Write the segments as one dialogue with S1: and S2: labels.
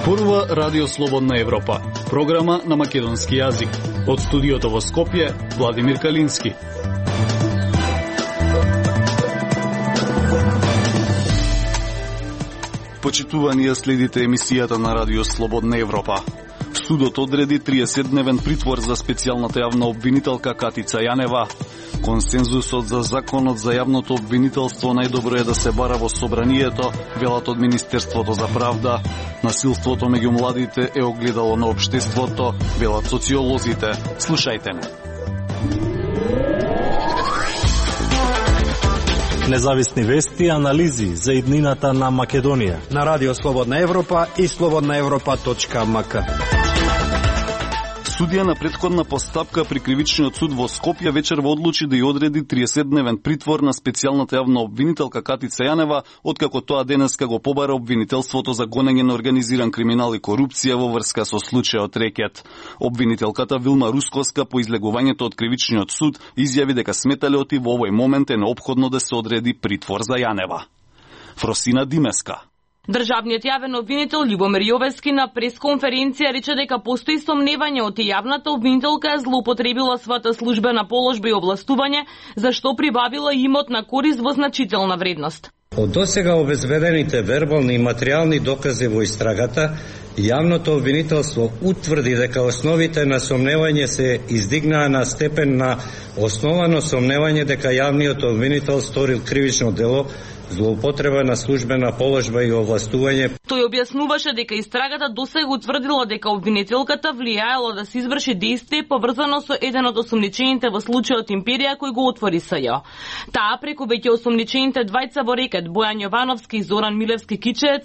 S1: Зборува Радио Слободна Европа, програма на македонски јазик. Од студиото во Скопје, Владимир Калински. Почитувани ја следите емисијата на Радио Слободна Европа. Судот одреди 30-дневен притвор за специјалната јавна обвинителка Катица Јанева. Консензусот за законот за јавното обвинителство најдобро е да се бара во собранието, велат од Министерството за правда. Насилството меѓу младите е огледало на општеството, велат социолозите. Слушајте ме.
S2: Независни вести и анализи за иднината на Македонија
S3: на Радио Слободна Европа и slobodnaevropa.mk.
S1: Судија на претходна постапка при Кривичниот суд во Скопје вечерва одлучи да ја одреди 30-дневен притвор на специјалната јавна обвинителка Катица Јанева, откако тоа денеска го побара обвинителството за гонење на организиран криминал и корупција во врска со случајот Рекет. Обвинителката Вилма Русковска по излегувањето од Кривичниот суд изјави дека сметалеоти во овој момент е неопходно да се одреди притвор за Јанева. Фросина Димеска.
S4: Државниот јавен обвинител Љубомир Јовевски на пресконференција рече дека постои сомневање од јавната обвинителка е злоупотребила својата службена положба и овластување, зашто прибавила имот на корист во значителна вредност.
S5: Од досега обезбедените вербални и материјални докази во истрагата, јавното обвинителство утврди дека основите на сомневање се издигнаа на степен на основано сомневање дека јавниот обвинител сторил кривично дело, злоупотреба на службена положба и овластување.
S4: Тој објаснуваше дека истрагата досега утврдила дека обвинителката влијаела да се изврши дејствие поврзано со еден од осомничените во случајот Империја кој го отвори СЈ. Таа преку веќе осомничените двајца во Рекет, Бојан Јовановски и Зоран Милевски Кичеец,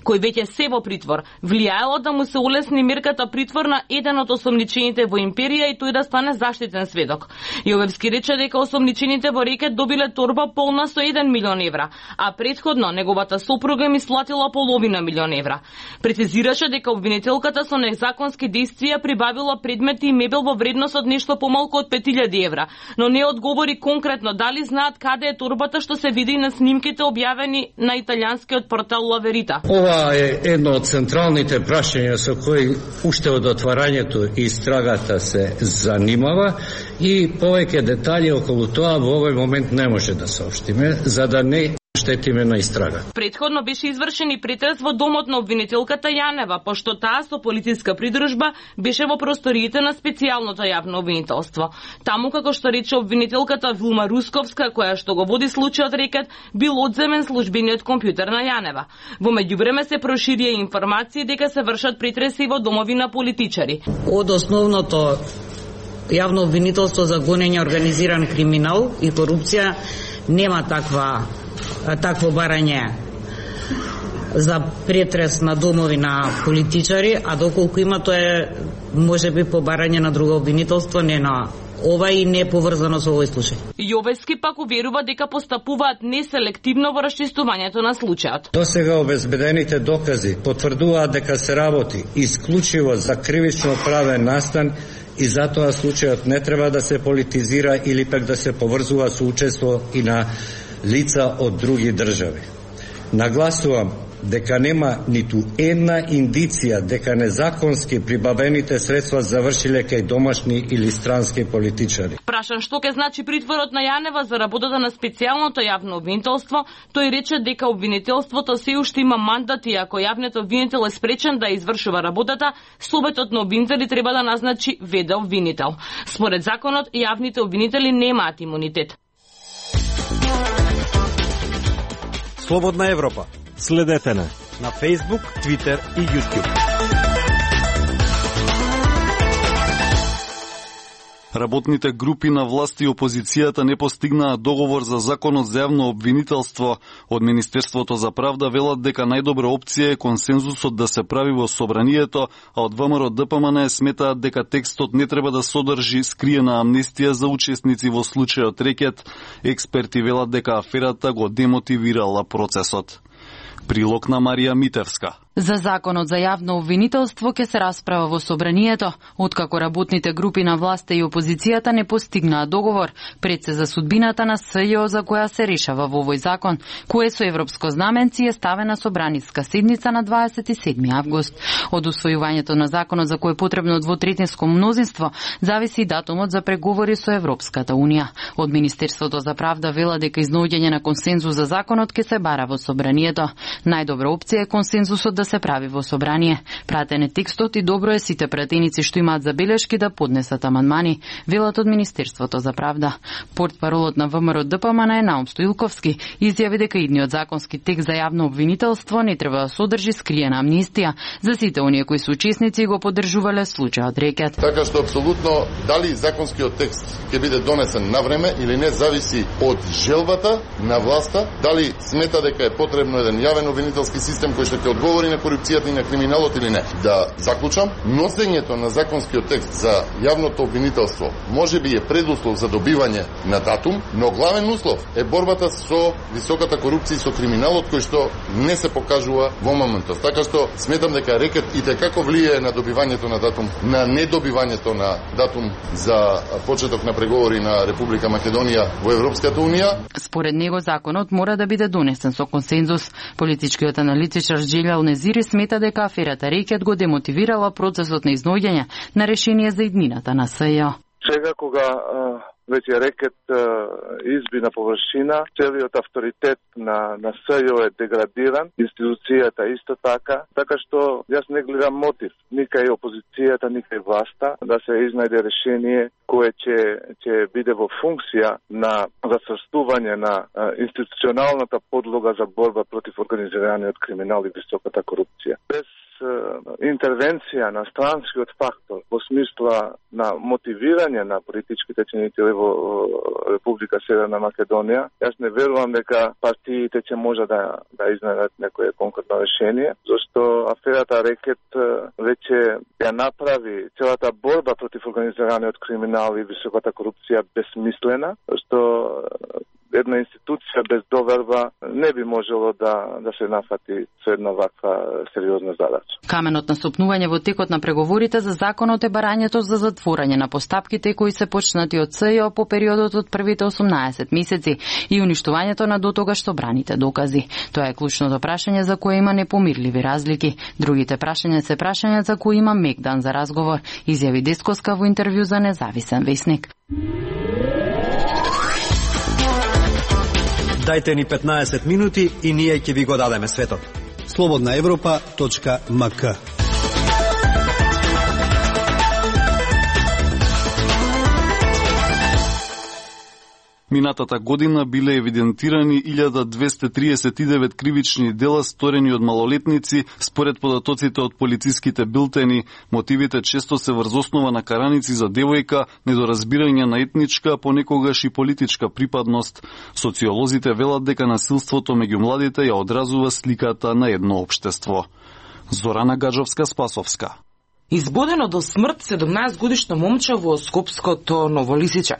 S4: кој веќе се во притвор, влијаела да му се улесни мерката притвор на еден од осомничените во Империја и тој да стане заштитен сведок. Јовевски рече дека осомничените во Рекет добиле торба полна со 1 милион евра, а предходно неговата сопруга им исплатила половина милион евра. Прецизираше дека обвинителката со незаконски действија прибавила предмети и мебел во вредност од нешто помалку од 5000 евра, но не одговори конкретно дали знаат каде е торбата, што се види на снимките објавени на италијанскиот портал La Verità.
S5: Ова е едно од централните прашања со кои уште од отварањето истрагата се занимава и повеќе детали околу тоа во овој момент не може да соопштиме, за да не штетиме на истрага.
S4: Предходно беше извршен и претрес во домот на обвинителката Јанева, пошто таа со полициска придружба беше во просториите на специјалното јавно обвинителство. Таму, како што рече обвинителката Вилма Русковска, која што го води случајот Рекет, бил одземен службениот компјутер на Јанева. Во меѓувреме се проширија информации дека се вршат претреси во домови на политичари.
S6: Од основното јавно обвинителство за гонење организиран криминал и корупција нема такво барање за претрес на домови на политичари, а доколку има тоа е можеби по барање на друго обвинителство, не на ова и не е поврзано со овој случај.
S4: Јовевски пак уверува дека постапуваат неселективно во расчистувањето на случајот.
S5: Досега обезбедените докази потврдуваат дека се работи исклучиво за кривично правен настан и затоа случајот не треба да се политизира или пак да се поврзува со учество и на лица од други држави. Нагласувам дека нема ниту една индиција дека незаконски прибавените средства завршиле кај домашни или странски политичари.
S4: Прашан што ќе значи притворот на Јанева за работата на специјалното јавно обвинителство, тој рече дека обвинителството се уште има мандат и ако јавниот обвинител е спречен да извршува работата, советот на обвинители треба да назначи ВД обвинител. Според законот, јавните обвинители немаат имунитет.
S3: Слободна Европа.
S2: Следете не
S3: На Facebook, Twitter и YouTube.
S1: Работните групи на власт и опозицијата не постигнаа договор за законот за јавно обвинителство. Од Министерството за правда велат дека најдобра опција е консензусот да се прави во собранието, а од ВМРО ДПМН сметаат дека текстот не треба да содржи скриена амнестија за учесници во случајот Рекет. Експерти велат дека аферата го демотивирала процесот. Прилог на Марија Митевска.
S7: За законот за јавно обвинителство ќе се расправа во собранието, откако работните групи на власта и опозицијата не постигнаа договор пред се за судбината на СЈО за која се решава во овој закон, кое со европско знаменци е ставена собраниска седница на 27 август. Од усвојувањето на законот за кој е потребно двотретинско мнозинство, зависи и датумот за преговори со Европската унија. Од Министерството за правда вела дека изнаоѓање на консензус за законот ќе се бара во собранието. Најдобра опција е консензусот да се прави во собрание. Пратен е текстот и добро е сите пратеници што имаат забелешки да поднесат амандмани, велат од Министерството за правда. Портпаролот на ВМРО ДПМН Наум Стоилковски изјави дека идниот законски текст за јавно обвинителство не треба да содржи скриена амнистија за сите оние кои се учесници и го поддржувале случајот Рекет.
S8: Така што апсолутно дали законскиот текст ќе биде донесен на време или не зависи од желбата на власта, дали смета дека е потребно еден јавен обвинителски систем кој што ќе одговори на корупцијата и на криминалот или не. Да заклучам, носењето на законскиот текст за јавното обвинителство можеби е предуслов за добивање на датум, но главен услов е борбата со високата корупција и со криминалот кој што не се покажува во моментот. Така што сметам дека Рекет и како влијае на добивањето на датум, на недобивањето на датум за почеток на преговори на Република Македонија во Европската унија.
S7: Според него законот мора да биде донесен со консензус. Политичкиот аналитичар Џелјал Незири смета дека аферата Рекет го демотивирала процесот на изноѓање на решение за иднината на СЈО.
S9: Сега кога веќе Рекет изби на површина, целиот авторитет на СЈО е деградиран, институцијата исто така што јас не гледам мотив ни кај опозицијата, ни кај власта да се изнајде решение кое ќе биде во функција на засрстување на институционалната подлога за борба против организираниот криминал и високата корупција. Без интервенција на странскиот фактор во смисла на мотивирање на политичките чинители во Република Северна Македонија, јас не верувам дека партиите ќе може да изнајдат некое конкретно решение, зашто аферата Рекет веќе ја направи целата борба против организираниот криминал и високата корупција безсмислена, што една институција без доверба не би можело да се нафати со една ваква сериозна задача.
S7: Каменот на стопнување во текот на преговорите за законот е барањето за затворање на постапките кои се почнати од СЈО по периодот од првите 18 месеци и уништувањето на дотогаш собраните докази. Тоа е клучното прашање за кое има непомирливи разлики. Другите прашања се прашања за кои има мек дан за разговор, изјави Десковска во интервју за Независен весник.
S3: Дајте ни 15 минути и ние ќе ви го дадеме светот. slobodnaevropa.mk.
S1: Минатата година биле евидентирани 1239 кривични дела сторени од малолетници, според податоците од полициските билтени. Мотивите често се врз основа на караници за девојка, недоразбирање на етничка, понекогаш и политичка припадност. Социолозите велат дека насилството меѓу младите ја одразува сликата на едно општество. Зорана Гаджовска-Спасовска.
S4: Избодено до смрт 17-годишно момче во Скопското Новолисиче.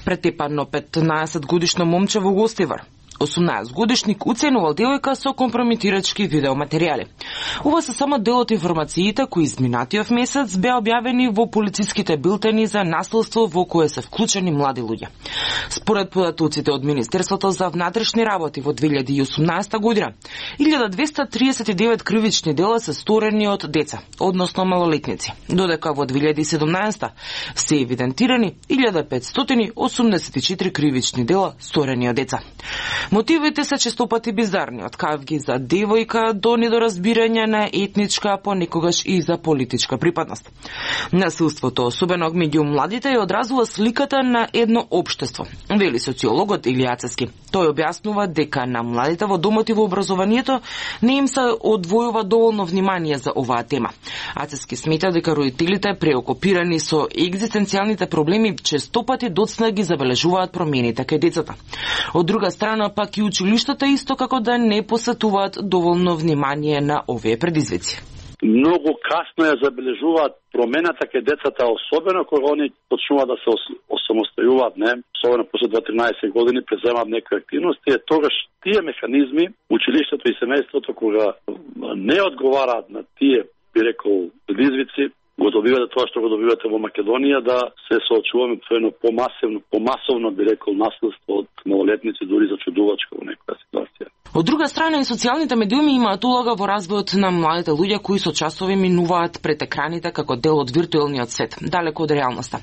S4: Претепано 15-годишно момче во Гостивар. 18-годишник уценувал девојка со компрометирачки видеоматеријали. Ова се само дел од информациите кои изминатиот месец беа објавени во полициските билтени за насилство во кое се вклучени млади луѓе. Според податоците од Министерството за внатрешни работи во 2018 година, 1239 кривични дела се сторени од деца, односно малолетници, додека во 2017 се евидентирани 1584 кривични дела сторени од деца. Мотивите се честопати бизарни, од кавги за девојка до недоразбирање на етничка, понекогаш и за политичка припадност. Насилството, особено меѓу младите, ја одразува сликата на едно општество, вели социологот Илија Ацески. Тој објаснува дека на младите во домот и во образованието не им се одвојува доволно внимание за оваа тема. Ацески смета дека родителите преокупирани со екзистенцијалните проблеми честопати доцна ги забележуваат промените кај децата. Од друга страна пак и училиштата исто како да не посетуваат доволно внимание на овие предизвици.
S10: многу касно ја забележуваат промената кај децата, особено кога они почнуваат да се осамостојуваат, не, особено после 2-13 години преземаат некои активности, тогаш тие механизми, училиштето и семејството, кога не одговараат на тие, би рекол, предизвици, го добивате тоа што го добивате во Македонија, да се соочуваме со едно помасовно, би рекол, наследство од малолетници, дури зачудувачко во некоја ситуација.
S11: Од друга страна, и социјалните медиуми имаат улога во развојот на младите луѓе кои со часови минуваат пред екраните како дел од виртуелниот свет, далеко од реалноста.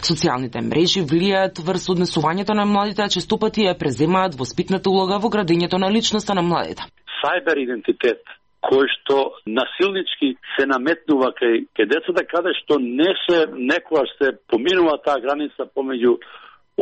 S11: Социјалните мрежи влијаат врз однесувањето на младите, а често пати ја преземаат воспитната улога во градењето на личноста на младите.
S10: Сайбер идентитет кој што насилнички се наметнува кај децата, каде што некојаш се поминува таа граница помеѓу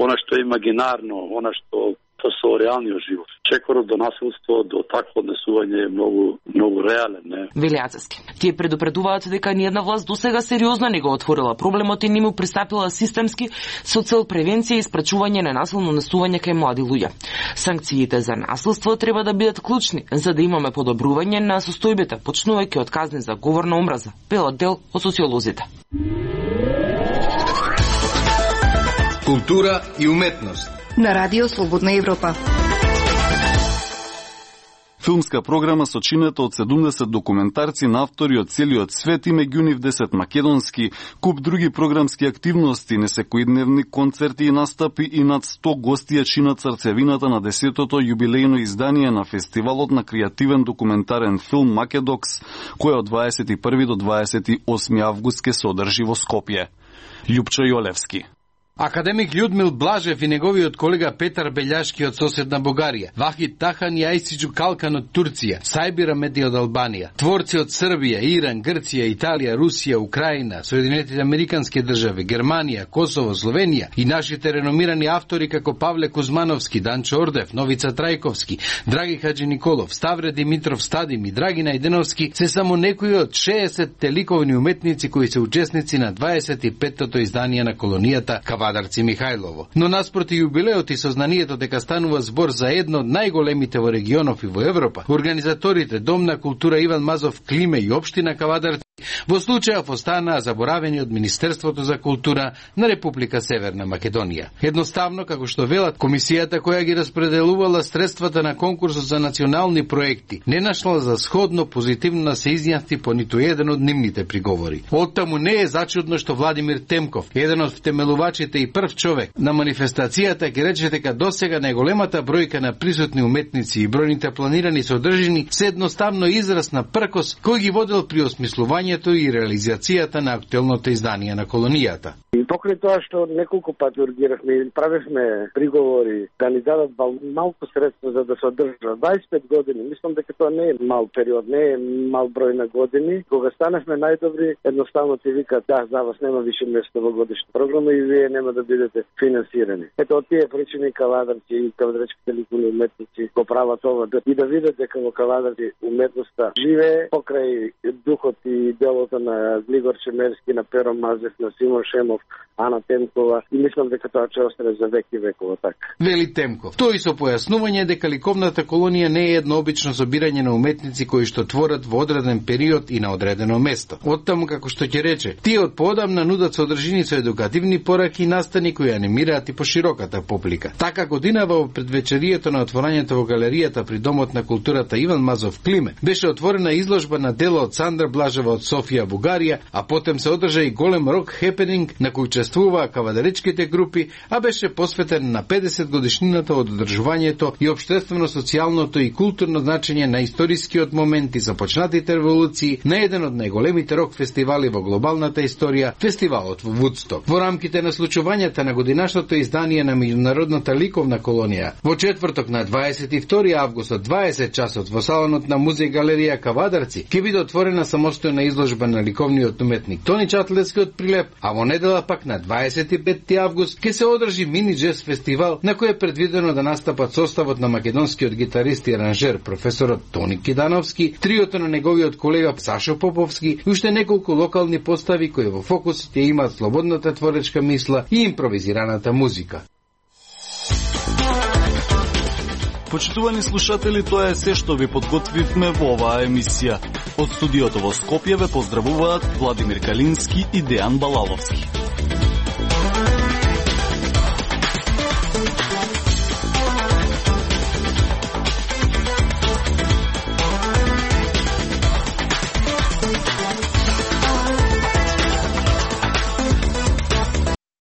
S10: она што е имагинарно, она што со реалниот живот. Чекорот до насилство, до такво однесување е многу реален, не?
S11: Велијацески. Тие предупредуваат дека ниедна власт досега сериозно не го отворила проблемот и не му пристапила системски со цел превенција и спречување на насилно однесување кај млади луѓе. Санкциите за насилство треба да бидат клучни за да имаме подобрување на состојбите, почнувајќи од казни за говор на омраза, велат дел од социолозите.
S12: Култура и уметност
S13: на Радио Слободна Европа.
S1: Филмска програма сочинета од 70 документарци на автори од целиот свет и меѓу нив 10 македонски, куп други програмски активности, несекојдневни концерти и настапи и над 100 гости ја чинат срцевината на 10-тото јубилејно издание на фестивалот на креативен документарен филм Македокс, кој од 21 до 28 август ќе се одржи во Скопје. Љупчо Јолевски.
S14: Академик Људмил Блажев и неговиот колега Петар Белјашки од соседна Бугарија, Вахид Тахан и Ајсиџу Калкан од Турција, Сајбир Амеди од Албанија, творци од Србија, Иран, Грција, Италија, Русија, Украина, Соединетите Американски држави, Германија, Косово, Словенија и нашите реномирани автори како Павле Кузмановски, Данчо Ордев, Новица Трајковски, Драги Хаджи Николов, Ставре Димитров Стадим и Драги Најденовски се само некои од 60 ликовни уметници кои се учесници на 25-тото издание на колонијата Кавадарци Михајлово. Но наспроти јубилеот и сознанието дека станува збор за едно од најголемите во регионов и во Европа, организаторите Дом на култура Иван Мазов Климе и Општина Кавадарци во случајов останаа заборавени од Министерството за култура на Република Северна Македонија. Едноставно, како што велат, комисијата која ги распределувала средствата на конкурсот за национални проекти не нашла за сходно позитивно да се изјасни по ниту еден од нивните приговори. Оттаму не е зачудно што Владимир Темков, еден од втемелувачите и прв човек на манифестацијата, ќе рече дека досега најголемата бројка на присутни уметници и бројните планирани содржини се едноставно израз на пркос кој ги водел при осмислувањето и реализацијата на актуелното издание на колонијата.
S15: И покрај тоа што неколку пати ургиравме и правевме приговори да ни дадат малку средства за да се одржа 25 години, мислам дека тоа не е мал период, не е мал број на години. Кога станахме најдобри, едноставно ти викаат да, за вас нема више место во годишна програма и вие нема да бидете финансирани. Ето од тие причини Кавадарци и кавадарчките ликовни уметници го прават ова и да видат дека во Кавадарци уметноста живее покрај духот и делото на Глигор Чемерски, на Перо Мазев, на Симон Шемов, Ана Темкова и мислам дека тоа ќе остане за веки векова така.
S14: Вели Темков. Тој со појаснување дека ликовната колонија не е едно обично собирање на уметници кои што творат во одреден период и на одредено место. Оттаму, како што ќе рече, тие од поодамна нудат содржини со едукативни пораки и настани кои анимираат и по широката публика. Така годинава во предвечерието на отворањето во галеријата при Домот на културата Иван Мазов Климе беше отворена изложба на дела од Сандра Блажева од Софија, Бугарија, а потем се одржа и голем рок хепенинг на кој учествуваа кавадаречките групи, а беше посветен на 50 годишнината од одржувањето и општествено-социјалното и културно значење на историскиот момент и започнатите револуции на еден од најголемите рок фестивали во глобалната историја, фестивалот во Вудсток. Во рамките на случувањата на годинашното издание на меѓународната ликовна колонија, во четврток на 22 август од 20 часот во салонот на музеј галерија Кавадарци ќе биде отворена самостојна изложба на ликовниот уметник Тони Чатлевски од Прилеп, а во недела пак на 25 август ќе се одржи мини джез фестивал на кој е предвидено да настапат составот на македонскиот гитарист и аранжер професорот Тони Кидановски, триото на неговиот колега Сашо Поповски и уште неколку локални постави кои во фокусот ја имаат слободната творечка мисла и импровизираната музика.
S1: Почитувани слушатели, тоа е се што ви подготвивме во оваа емисија. Од студиото во Скопје ве поздравуваат Владимир Калински и Дејан Балаловски.